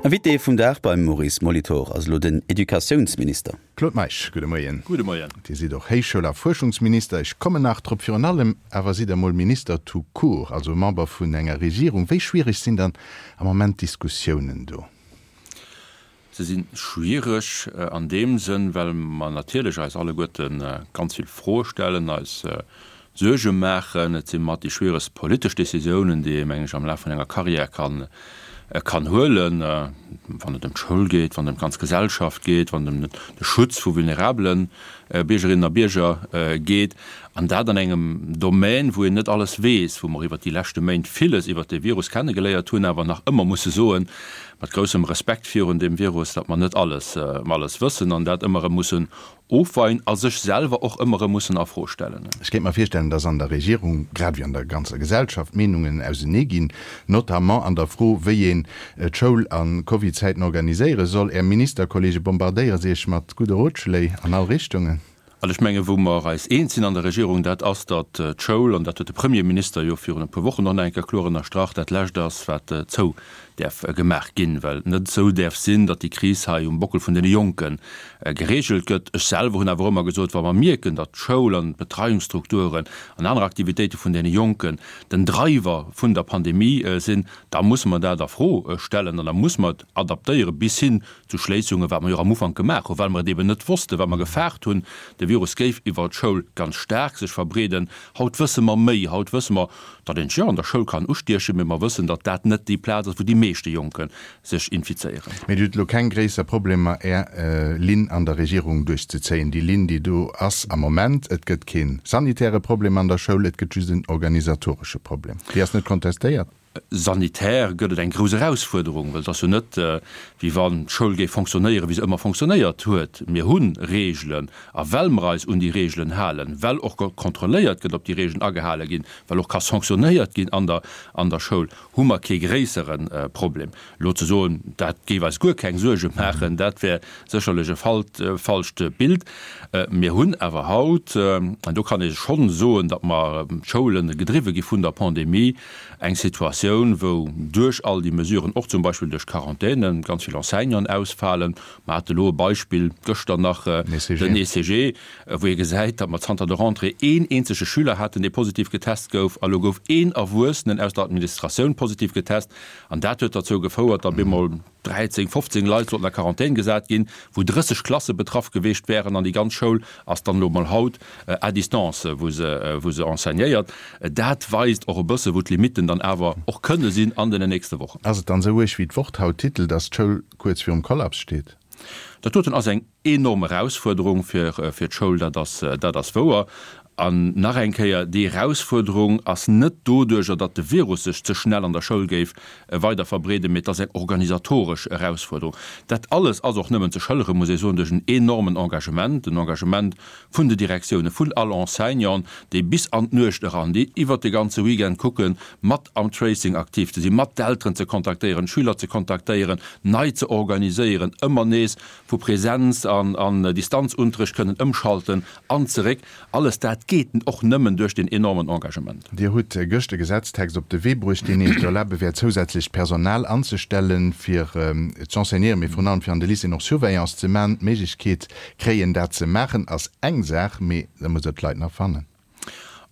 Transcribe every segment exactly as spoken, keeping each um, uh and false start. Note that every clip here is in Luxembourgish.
Invité vum Dag beim Maurice Molitor ass elo den Educatiounsminister. Claude Meisch, gudde Moien. Gudde Moien. Dir sidd och Héichschoul a Fuerschungsminister. Ech kommen nach drop. Virun allem awer sidd Der mol Minister tout court, also Member vun enger Regierung. Wéi schwiereg sinn dann am Moment d'Diskussiounen do? Se si schwiereg an deem Sënn, well mer natierlech eis alleguerte ganz vill Froe stellen, eis Suerge maachen. Et si mat déi schwieregst politesch Décisiounen, déi ee, mengen ech, am Laf vun enger Carrière kann kann huelen, wann et ëm d'Schoul geet, wann et ëm d'ganz Gesellschaft geet, wann et ëm de Schutz vu vulnerabele Biergerinnen a Bierger geet, an dat an engem Domän, wou een net alles weess, wou mer iwwert déi leschte Méint villes iwwert dee Virus kennegeléiert hunn, awer nach ëmmer musse soen, mat groussem Respekt virun deem Virus, datt mer net alles alles wëssen an dat ëmmer erëm mussen ofweien a sech selwer och ëmmer erëm mussen a Fro stellen. Ech kéint mer virstellen, datt an der Regierung, grad wéi an der ganzer Gesellschaft, d'Meenungen ausenee ginn, notamment an der Fro, wéi een d'Schoul a Covid-Zäiten organiséiere soll. Är Ministerkollege bombardéiere se Iech mat gudde Rotschléi an all Richtungen. Also ech mengen, wou mer eis eens sinn an der Regierung, dat ass, datt d'Schoul, an dat huet de Premierminister jo virun e puer Wochen och nach eng Kéier kloer ënnerstrach, dat Lescht ass, wat zou däerf gemaach ginn, well et net esou däerf sinn, datt déi Kris hei um Bockel vun deene Jonke geregelt gëtt. Ech selwer hunn awer ëmmer gesot, wa mer mierken, datt d'Schoul an d'Betreiungsstrukturen an aner Aktivitéite vun deene Jonken den Driver vun der Pandemie sinn, da musse mer dat a Fro stellen an da musse mer et adaptéiere bis hin zu Schléissungen, wat mer jo och am Ufank gemaach hunn, well mer et eben net wossten, well mer gefaart hunn, de Virus géif iwwer d'Schoul ganz staark sech verbreeden. Haut wësse mer méi. Haut wësse mer, datt een sech jo an der Schoul kann ustiechen, mee mer wëssen, datt dat net déi Plaz ass, wou déi meeschte Jonke sech infizéieren. Mee Dir hutt elo keng gréisser Problemer, Är Linn an der Regierung duerchzezéien, déi Linn, déi do ass am Moment. Et gëtt kee sanitäre Problem an der Schoul, et gëtt just en organisatoresche Problem. Déi ass net kontestéiert. Sanitär gëtt et eng grouss Erausfuerderung, well et ass jo net, wéi wann d'Schoul géif fonctionnéieren, wéi se ëmmer fonctionnéiert huet. Mir hu Reegelen, a well mer eis un déi Reegelen halen, well och kontrolléiert gëtt, ob déi Reegelen agehale ginn, well och ka sanctionnéiert ginn an der an der Schoul, hu mer kee gréissere Problem. Elo ze soen, dat géif eis guer keng Suerge maachen, dat wär sécherlech e falscht Bild. Mir hunn awer haut, an do kann ee schonn soen, datt mer d'Schoule gedriwwe gi vun der Pandemie, Eng Situatioun, wou duerch all déi Mesuren, och zum Beispill duerch Quarantänen, ganz vill Enseignanten ausfalen. Mer hate elo e Beispill gëschter nach, den E C G, wou ee gesäit, datt mer zanter der Rentrée een eenzege Schüler haten, dee positiv getest gouf, a lo gouf een Erwuessenen aus der Administratioun positiv getest. An dat huet derzou gefouert, datt bemol dräizéng, fofzéng Leit sollten a Quarantän gesat ginn, wou drësseg Klasse betraff geweecht wären an déi ganz Schoul ass dann elo mol haut à distance, wou se, wou se enseignéiert. Dat weist och e bësse wou d'Limitten dann awer och kënne sinn an den nächste Wochen. Ass et dann esou uerg wéi d'Wort haut titelt, dass d'Schoul kuerz virum Kollaps steet? Dat doten ass eng enorm Erausfuerderung fir fir d'Schoul, dat ass, dat ass wouer. An nach eng Kéier, déi Erausfuerderung ass net doduerjer, datt de Virus sech ze schnell an der Schoul géif weider verbreeden, mee et ass eng organisatoresch Erausfuerderung. Dat alles ass och nëmmen ze schëlleren, muss ee soen, duerch en enormen Engagement, en Engagement vun de Direktiounen, vun all Enseignanten, déi bis an d'Nuecht eran, déi iwwert de ganze Weekend kucken, mat am Tracing aktiv ze sinn, mat d'Elteren ze kontaktéieren, d'Schüler ze kontaktéieren, nei ze organiséieren, ëmmer nees vu Präsenz an Distanzunterricht kënnen ëmschalten an zeréck. Alles dat geet och nëmmen duerch deen enormen Engagement. Dir hutt gëscht e Gesetztext op de Wee bruecht, deen Iech erlabe wäert, zousätzlecht Personal anzestellen, fir z'enseignéieren, mee virun allem fir an de Lycéeën och Surveillance ze maachen. D'Méiglechkeet kréien, dat ze maachen, ass eng Saach, mee da musst Der d'Leit nach fannen.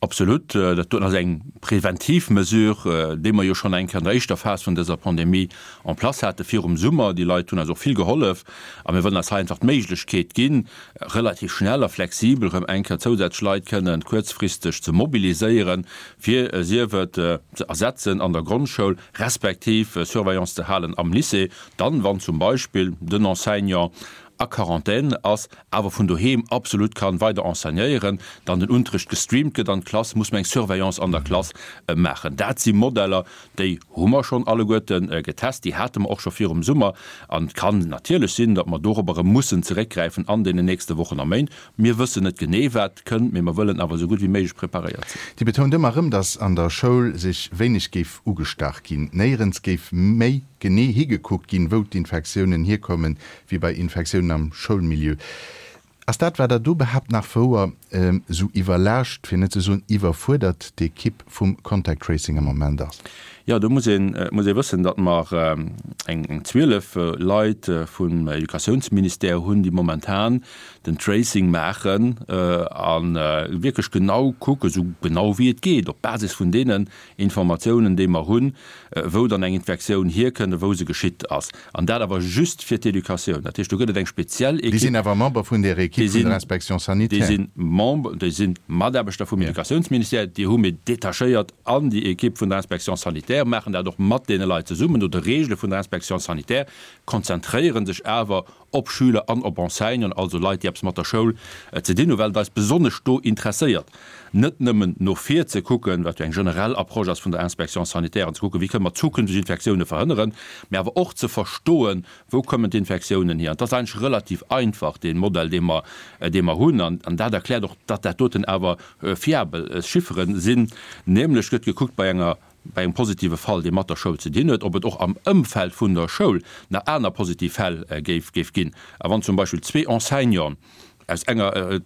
Absolut. Dat doten ass eng preventiv Mesure, déi mer jo schonn eng Kéier an der éischter Phas vun dëser Pandemie en place hate virum Summer. Déi Leit hunn eis och vill gehollef a mir wëllen eis hei einfach d'Méiglechkeet ginn, relativ schnell a flexibel erëm eng Kéier zousätzlech Leit kënnen kuerzfristeg ze mobiliséieren, fir sief et ze ersetzen an der Grondschoul respektiv Surveillance ze halen am Lycée, dann, wann zum Beispill den Enseignant a Quarantän ass, awer vun doheem absolut kann weider enseignéieren, dann den Unterricht gestreamt gëtt an d'Klass, muss mer eng Surveillance an der Klass maachen. Dat si Modeller, déi hu mer schonn alleguerte getest, déi hate mer och scho virum Summer. An et kann natierlech sinn, datt mer dorobber erëm mussen zeréckgräifen an deenen nächste Wochen a Méint. Mir wëssen net genee, wat kënnt, mee mer wëllen awer esou gutt wéi méiglech preparéiert sinn. Dir betount ëmmer erëm, datt an der Schoul sech wéineg géif ugestach ginn, néierens géif méi genee higekuckt ginn, wou d'Infektiounen hierkommen, wéi bei Infektiounen am Schoulmilieu. Ass dat, wat Der do behaapt, nach wouer, esou iwwerlaascht, fir net ze soen iwwerfuerdert d'Ekipp vum Contact Tracing am Moment ass? Jo, do muss een, muss ee wëssen, datt mer eng, eng zwielef Leit vum Educatiounsministère hunn, déi momentan den Tracing maachen a wierklech genau kucken, esou genau wéi et geet, op Basis vun deenen Informatiounen, déi mer hunn, wou dann eng Infektioun hierkënnt a wou se geschitt ass. An dat awer just fir d'Educatioun. Dat heescht, do gëtt et eng speziell Déi Ekipp. sinn awer Member vun där Ekipp vun der Inspection Déi sanitaire. si Member, déi si Mataarbechter vum Educatiounsministère, déi hu mir detachéiert an déi Ekipp vun der Inspection sanitaire, maachen dat och mat deene Leit zesummen, no de Regele vun der Inspection sanitaire, konzentréiere sech awer op Schüler an op Enseignanten, also Leit, déi eppes mat der Schoul ze dinn hunn, well et eis besonnesch do interesséiert, net nëmmen no vir ze kucken, wat jo eng generell Approche ass vun der Inspection sanitaire, an ze kucken, wéi kënne mer zukünfteg Infektioune verhënneren, mä awer och ze verstoen, wou kommen d'Infektiounen hier. An et ass eigentlech relativ einfach, dee Modell, dee mer, dee mer hunn. An dat erkläert och, datt dat doten awer fiabel Chiffere sinn, nämlech gëtt gekuckt bei enger, bei engem positive Fall, dee mat der Schoul ze dinn huet, ob et och am Ëmfeld vun der Schoul nach aner positiv Fäll géif, géif ginn. A wann zum Beispill zwee Enseignanten aus enger,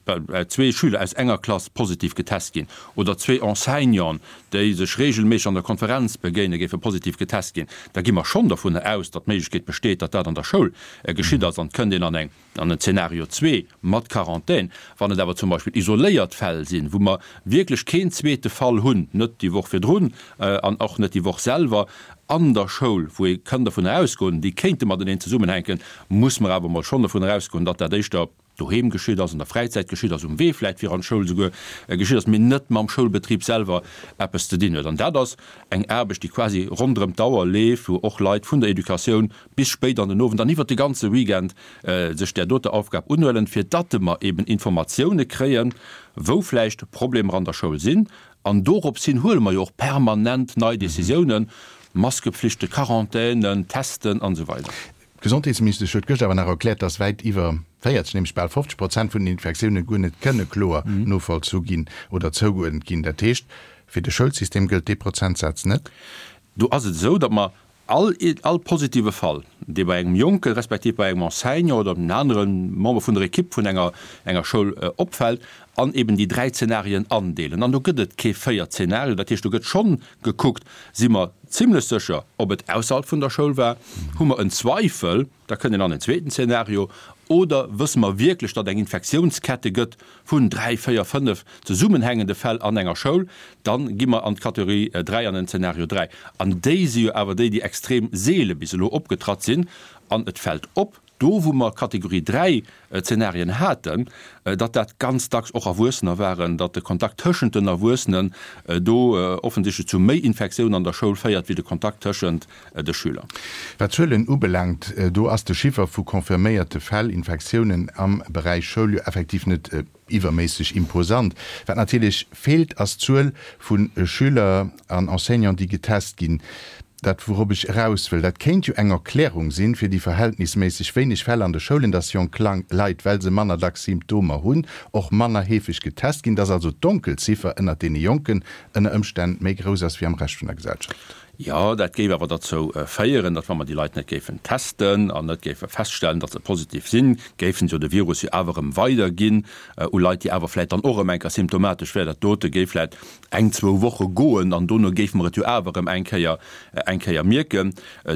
zwee Schüler aus enger Klass positiv getest ginn oder zwee Enseignanten, déi sech regelméisseg an der Konferenz begéinen, géife positiv getest ginn, da gi mer schonn dovunner aus, datt d'Méiglechkeet besteet, datt dat an der Schoul geschitt ass. An et kënnt een an eng, an en Zeenario zwee mat Quarantän. Wann et awer zum Beispill isoléiert Fäll sinn, wou mer wierklech keen zweete Fall hunn, net déi Woch virdrun an och net déi Woch selwer an der Schoul, wou ee kann dovunner ausgoen, déi kéinte mateneen zesummenhänken, muss mer awer emol schonn dovunner ausgoen, datt dat éischter doheem geschitt ass, an der Fräizäit geschitt ass, um Wee vläicht fir an d'Schoul esouguer geschitt ass, mee net mam Schoulbetrib selwer eppes ze dinn huet. An dat ass eng Aarbecht, déi quasi ronderëm d'Auer leeft, wou och Leit vun der Educatioun bis spéit an den Owend an iwwert de ganze Weekend sech där doter Aufgab unhuelen, fir datte mer eben Informatioune kréien, wou vläicht Problemer an der Schoul sinn. An dorops hin huele mer jo och permanent nei Decisiounen, Maskepflichten, Quarantänen, Testen an esou weider. D'Gesondheetsministesch huet gëschter awer nach erkläert, dass wäit iwwer véierzeg, nämlech bal fofzeg Prozent vun den Infektioune guer net kënne kloer novollzu ginn oder zougeuerdent ginn. Dat heescht, fir de Schoulsystem gëllt dee Prozentsaz net? Do ass et esou, datt mer all all positive Fall, dee bei engem Jonke respektiv bei engem Enseignant oder engem anere Member vun der Ekipp vun enger enger Schoul opfält, an eben déi dräi Zenarien andeelen. An do gëtt et kee véiert Zenario. Dat heescht, do gëtt schonn gekuckt, si mer zimlech sécher, ob et ausserhalb vun der Schoul war, hu mer en Zweifel, da kënnt een an en zweeten Zenario, oder wësse mer wierklech, datt eng Infektiounskette gëtt vun dräi, véier, fënnef zesummenhängende Fäll an enger Schoul, da gi mer an d'Kategorie dräi, an den Zenario dräi. An déi si jo awer déi, déi extrem seele bis elo opgetratt sinn. An et fält op, do wou mer Kategorie dräi Zenarien haten, datt dat ganz dacks och Erwuessener waren, datt de Kontakt tëschent den Erwuessenen do offensichtlech zu méi Infektiounen an der Schoul féiert wéi de Kontakt tëschent de Schüler. Wat d'Zuelen ubelaangt, do ass de Chiffer vu confirméierte Fäll, Infektiounen am Beräich Schoul jo effektiv net iwwerméisseg imposant. Wat natierlech feelt, ass d'Zuel vu Schüler an Enseignanten, déi getest ginn. Dat, wourop ech eraus wëll, dat kéint jo eng Erklärung sinn, fir déi verhältnisméisseg wéineg Fäll an de Schoulen, dass jonk Leit, well se manner dacks Symptomer hunn, och manner heefeg getest ginn, dass also d'Donkelziffer ënnert deene Jonken ënner Ëmstänn méi grouss ass wéi am Rescht vun der Gesellschaft. Jo, dat géif awer derzou féieren, datt wa mer déi Leit net géifen testen an net géife feststellen, datt se positiv sinn, géifen se jo de Virus jo awer erëm weiderginn u Leit, déi awer vläicht dann och erëm eng Kéier symptomatesch wären. Dat dote géif vläicht eng, zwou Woche goen an dono géife mer et jo awer erëm eng Kéier, eng Kéier mierken.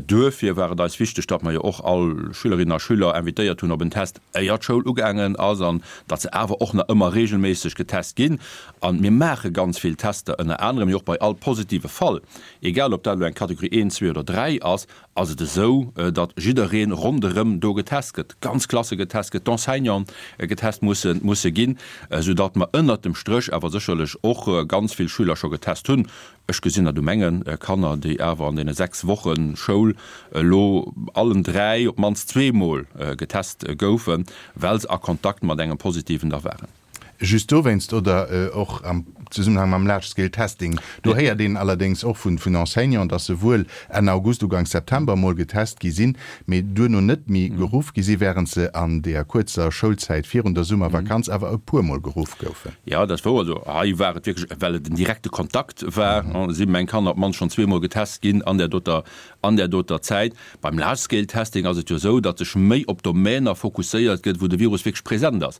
Duerfir war et eis wichteg, datt mer jo och all Schülerinnen a Schüler invitéiert hunn op en Test, éier d'Schoul ugaangen ass an datt se awer och nach ëmmer regelméisseg getest ginn. A mir maache ganz vill Tester, ënner anerem jo och bei all positive Fall, egal ob dat elo eng Kategorie een, zwee oder dräi ass, ass et esou, datt jidderee ronderëm do getest gëtt, ganz Klasse getest gëtt, d'Enseignanten getest musse musse ginn, soudatt mer ënnert dem Stréch awer sécherlech och ganz vill Schüler scho getest hunn. Ech gesinn dat u menge Kanner, déi awer an deene sechs Woche Schoul elo allen dräi op d'mannst zweemol getest goufen, well se a Kontakt mat engem Positiven da waren. Just dowéinst oder och am Zesummenhang mam Large Scale Testing? Do héiert een allerdéngs och vun Enseignanten, dass se wuel Enn August, Uganks September emol getest gi sinn, mee duerno net méi geruff gi sinn, wärend se an deeër kuerzer Schoulzäit virun der Summervakanz awer e puer Mol geruff goufen. Jo, dat ass wouer. Also hei war et wierklech, well et en direkte Kontakt war, si meng Kanner op d'mannst schonn zweemol getest ginn an där doter, an där doter Zäit. Beim Large Scale Testing ass et jo esou, datt sech méi op Domäner fokusséiert gëtt, wou de Virus wierklech present ass.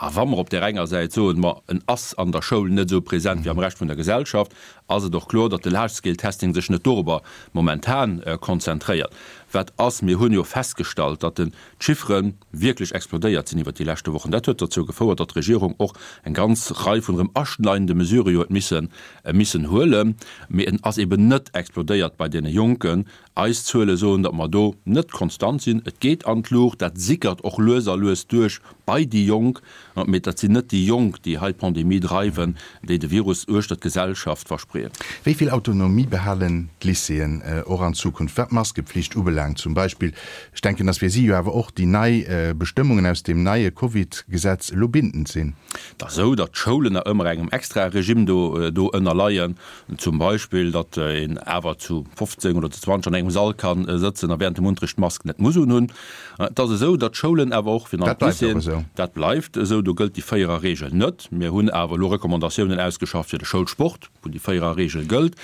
A wa mer op där enger Säit soen, ma en ass an der Schoul net esou present wéi am Rescht vun der Gesellschaft, ass et och kloer, datt de Large-Scale-Testing sech net dorobber momentan konzentréiert. Wat ass, mir hunn jo festgestallt, datt den d'Chiffere wierklech explodéiert sinn iwwert déi leschte Wochen. Dat huet dozou gefouert, datt d'Regierung och eng ganz Rei vun erëm aschneidende Mesurë jo huet missen missen huelen. Mee en ass eben net explodéiert bei deene Jonken. Eis Zuele soen, datt mer do net konstant sinn. Et geet an d'Luucht, dat sickert och lues a lues duerch bei déi Jonk. Mee dat sinn net déi Jonk, déi hei d'Pandemie dreiwen, déi de Virus uechter d'Gesellschaft verspreeën. Wéi vill Autonomie behalen d'Lycéeën och an Zukunft, wat d'Maskepflicht ubelaangt zum Beispill? Ech denken, datt fir si jo awer och déi nei Bestëmmungen aus deem neie Covid-Gesetz elo bindend sinn. Et ass esou, datt d'Schoulen nach ëmmer engem extrae Regime do ënnerleien. Zum Beispill, datt een awer zu fofzéng oder zu zwanzeg an engem Sall ka sëtzen a während dem Unterricht d'Mask net muss unhunn. Et ass esou, datt d'Schoulen awer och fir Dat bleift och esou. Dat bleift esou, do gëllt déi Véiererregel net. Mir hunn awer elo Recommandatiounen ausgeschafft fir de Schoulsport, wou déi Véiererregel gëllt.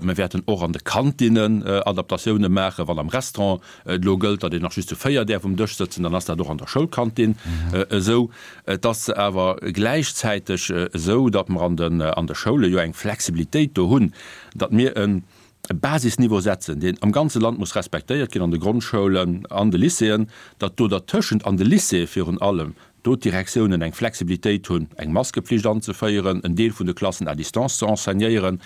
Mir wäerten och an de Kantinnen Adaptatioune maachen. Wann am Restaurant et elo gëllt, datt een nach just zu véier däerf um Dësch sëtzen, dann ass dat och an der Schoulkantin esou. Et ass awer gläichzäiteg esou, datt mer an den an de Schoule jo eng Flexibilitéit do hunn, datt mir e Basisniveau setzen, deen am ganze Land muss respektéiert ginn, an de Grondschoulen, an de Lycéeën, datt do dertëschent an de Lycéeë virun allem do d'Direktiounen eng Flexibilitéit hunn, eng Maskepflicht anzeféieren, en Deel vun de Klassen à distance ze enseignéieren,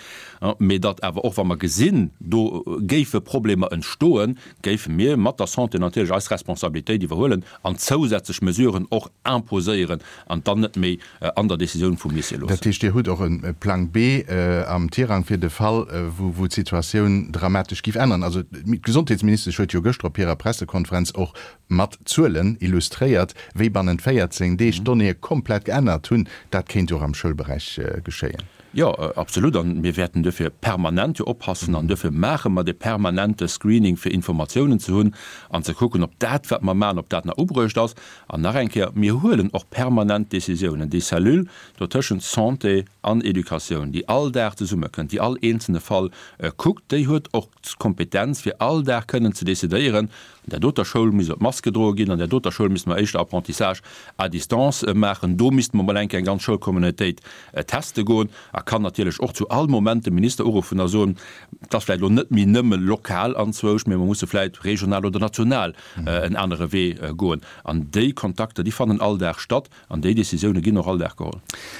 mee datt awer och, wa mer gesinn, do géife Problemer entstoen, géife mir mat der Santé natierlech eis Responsabilitéit iwwerhuelen an zousätzlech Mesuren och imposéieren an dann net méi an der Décisioun vum Lycée loossen. Dat heescht, Dir hutt och e Plang B am Tirang fir de Fall, wou d'Situatioun dramatesch géif änneren. Also d'Gesondheetsministesch huet jo gëschter op hirer Pressekonferenz och mat Zuelen illustréiert, wéi bannent véierzéng Deeg d'Donnéeë komplett geännert hunn. Dat kéint jo och am Schoulberäich geschéien. Jo, absolut. A mir wäerten duerfir permanent jo oppassen an duerfir maache mer dee permanente Screening, fir Informatiounen ze hunn an ze kucken, ob dat, wat mer maachen, ob dat nach ubruecht ass. An nach eng Kéier, Mir huelen och permanent Décisiounen. Déi Cellule do tëschent Santé an Educatioun, déi all Dag zesummekënnt, déi all eenzelne Fall kuckt, déi huet och d'Kompetenz, fir all Dag kënnen ze decidéieren, An där doter Schoul misst op d'Mask gedroe ginn, an där doter Schoul misste mer éischter Apprentissage à distance maachen, do misste mer mol eng Kéier eng ganz Schoulcommunautéit teste goen. A kann natierlech och zu all Moment de Minister uruffen a soen, et ass vläicht elo net méi nëmme lokal anzwousch, mee mer musse vläicht regional oder national en anere Wee goen. An déi Kontakter, déi fannen all Dag statt an déi Décisioune ginn och all Dag geholl.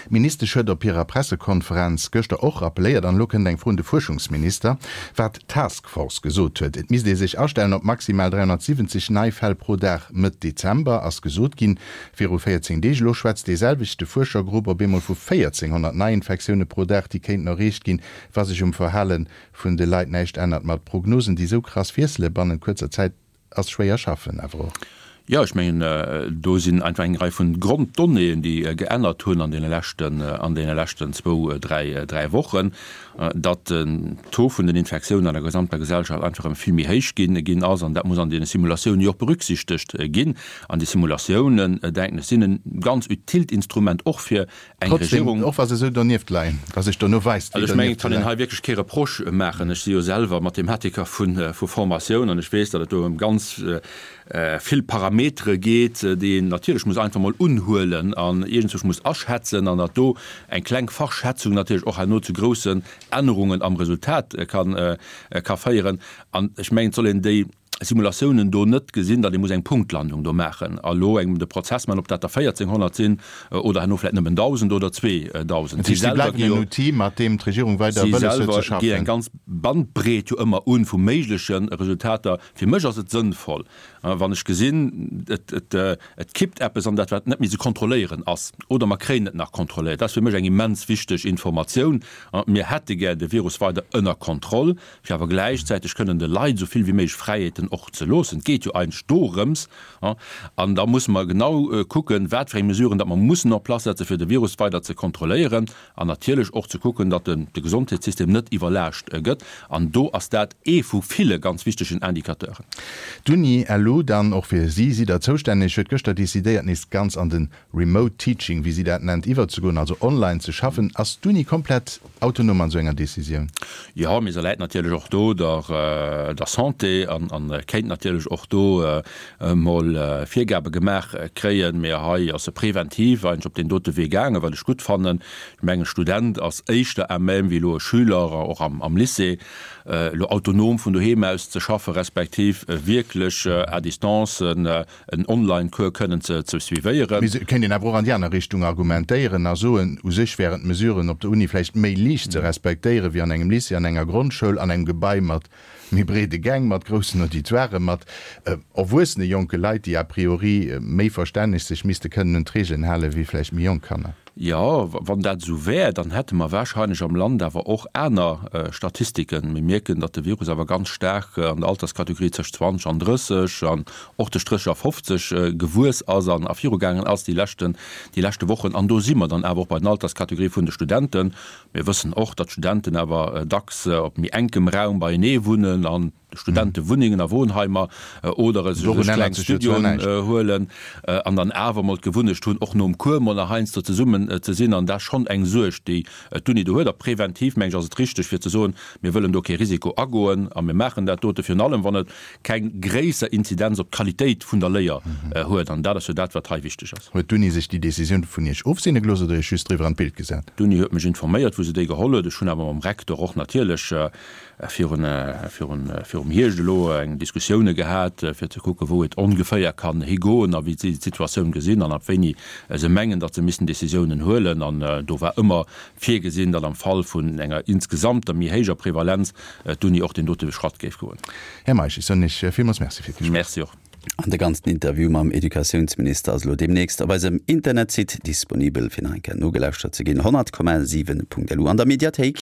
D'Ministesch huet op hirer Pressekonferenz gëschter och rappelléiert, an elo kënnt eng Fro un de Fuerschungsminister, wat d'Task Force gesot huet. Et misst ee sech astellen op maximal dräihonnertsiwwenzeg nei Fäll pro Dag Mëtt Dezember, ass gesot ginn viru véierzéng Deeg. Elo schwätzt dee selwechte Fuerschergrupp op eemol vu véierzénghonnert Neiinfektioune pro Dag, déi kéinten erreecht ginn, wa sech um Verhale vun de Leit näischt ännert. Mat Prognosen, déi esou krass wiessele bannent kuerzer Zäit, ass schwéier schaffen awer och. Jo, ech mengen, do sinn einfach eng Rei vun Gronddonnéeën, déi geännert hunn an deene leschten, an deene leschten zwou, dräi, dräi Wochen, datt den Taux vun den Infektiounen an der gesamter Gesellschaft einfach erëm vill méi héich ginn, ginn ass. An dat muss an deene Simulatiounen jo och berücksichtegt ginn. An déi Simulatiounen, denken ech, sinn e ganz utilt Instrument och fir eng Trotzdem, Regierung. och wa se esou donieft leien, wa sech dono weist, wéi Also ech mengen, et donieft kann een leien. hei wierklech kee Reproche maachen. Ech si jo selwer Mathematiker vu, vu Formatioun an ech weess, datt et do ëm ganz vill Parametere geet, déi een natierlech muss einfach mol unhuelen an iergendzwousch muss aschätzen an datt do eng kleng Verschätzung natierlech och herno zu groussen Ännerungen am Resultat kann, ka féieren. An ech mengen, et soll een déi Simulatiounen do net gesinn, datt ee muss eng Punktlandung do maachen a lo engem de Prozess maachen, ob dat der véierzénghonnert sinn oder herno vläicht nëmmen dausend oder zweedausend. Dat Si heescht, si selwer bleiwen gi en jo, Outil, mat deem d'Regierung weider si wëlles huet ze selwer gi schaffen. eng ganz Bandbreet jo ëmmer un vu méigleche Resultater. Fir mech ass et sënnvoll, wann ech gesinn, et, et, et kippt eppes an dat, wat net méi ze kontrolléieren ass, oder mer kréien et nach kontrolléiert. Dat ass fir mech eng immens wichteg Informatioun. Mir hätte gär de Virus weider ënner Kontroll, fir awer gläichzäiteg kënnen de Leit esou vill wéi méiglech Fräiheeten och ze loossen. Et geet jo eigentlech dorëms. An da musse mer genau kucken, wat fir eng Mesuren datt mer mussen en place setzen, fir de Virus weider ze kontrolléieren an natierlech och ze kucken, datt de Gesondheetssystem net iwwerlaascht gëtt. An do ass dat ee vu ville ganz wichtegen Indicateuren. D'Uni elo dann, och fir si sidd Der zoustänneg, huet gëschter decidéiert, nees ganz an de Remote Teaching, wéi si dat nennt, iwwerzegoen, also online ze schaffen. Ass d'Uni komplett autonom an esou enger Decisioun? Jo, mee se läit natierlech och do der der Santé an kéint natierlech och do emol Virgabe gemaach kréien. Mee hei ass se preventiv eigentlech op deen dote Wee gaangen, wat ech gutt fannen. Ech mengen, e Student ass éischter à même wéi elo e Schüler, och am Lycée, elo autonom vun doheem aus ze schaffen, respektiv wierklech à distance en Online-Cours kënnen ze suivéieren. Mee et kéint een awer och an déi aner Richtung argumentéieren a soen, u sech wären d'Mesuren op der Uni vläicht méi liicht ze respektéieren wéi an engem Lycée, an enger Grondschoul, an engem Gebai mat méi breede Gäng, mat groussen Auditoiren, mat erwuessene jonke Leit, déi a priori méi verstänneg sech misste kënnen un d'Regeln halen wéi vläicht méi jonk Kanner. Jo, wann dat esou wär, dann hätte mer wahrscheinlech am Land awer och aner Statistiken. Mir mierken, datt de Virus awer ganz staark an der Alterskategorie tëscht zwanzeg an drësseg an och tëscht drësseg a fofzeg gewuess ass an ervirugaangen ass déi leschten, déi leschte Wochen. An do si mer dann awer och bei den Alterskategorie vun de Studenten. Mir wëssen och, datt d'Studenten awer dacks op méi enkem Raum beienee wunnen an Studentewunnengen a Wohnheimer oder sech kleng Studioen huelen an dann awer mol d'Gewunnecht hunn, och nom Cours mol nach heiansdo zesummen ze sinn. An dat ass schonn eng Suerg, déi d'Uni do huet. A preventiv, meng ech, ass et richteg, fir ze soen, mir wëllen do kee Risiko agoen a mir maachen dat dote, virun allem wann et keng gréisser Inzidenz op d'Qualitéit vun der Léier huet. An dat ass jo dat, wat hei wichteg ass. Huet d'Uni sech déi Decisioun vun Iech ofseene gelooss oder Iech just driwwer an d'Bild gesat? D'Uni huet mech informéiert, wou se déi geholl huet. Ech hunn awer mam Rektor och natierlech virun, virun, virum Hierscht elo eng Diskussioune gehat, fir ze kucken, wou et ongeféier kann higoen a wéi si d'Situatioun gesinn an ab wéini se mengen, datt se missten Décisiounen huelen. An do war ëmmer virgesinn, datt am Fall vun enger insgesamter méi héijer Prevalenz d'Uni och deen dote Schratt géif goen. Här Meisch, ech soen Iech villmools Merci fir d'Gespréich. Merci och. An de ganzen Interview mam Educatiounsminister ass elo deemnächst op eisem Internetsite disponibel, fir nach eng Kéier nogelauschtert ze ginn, honnert Komma siwen Punkt lu an der Mediathéik.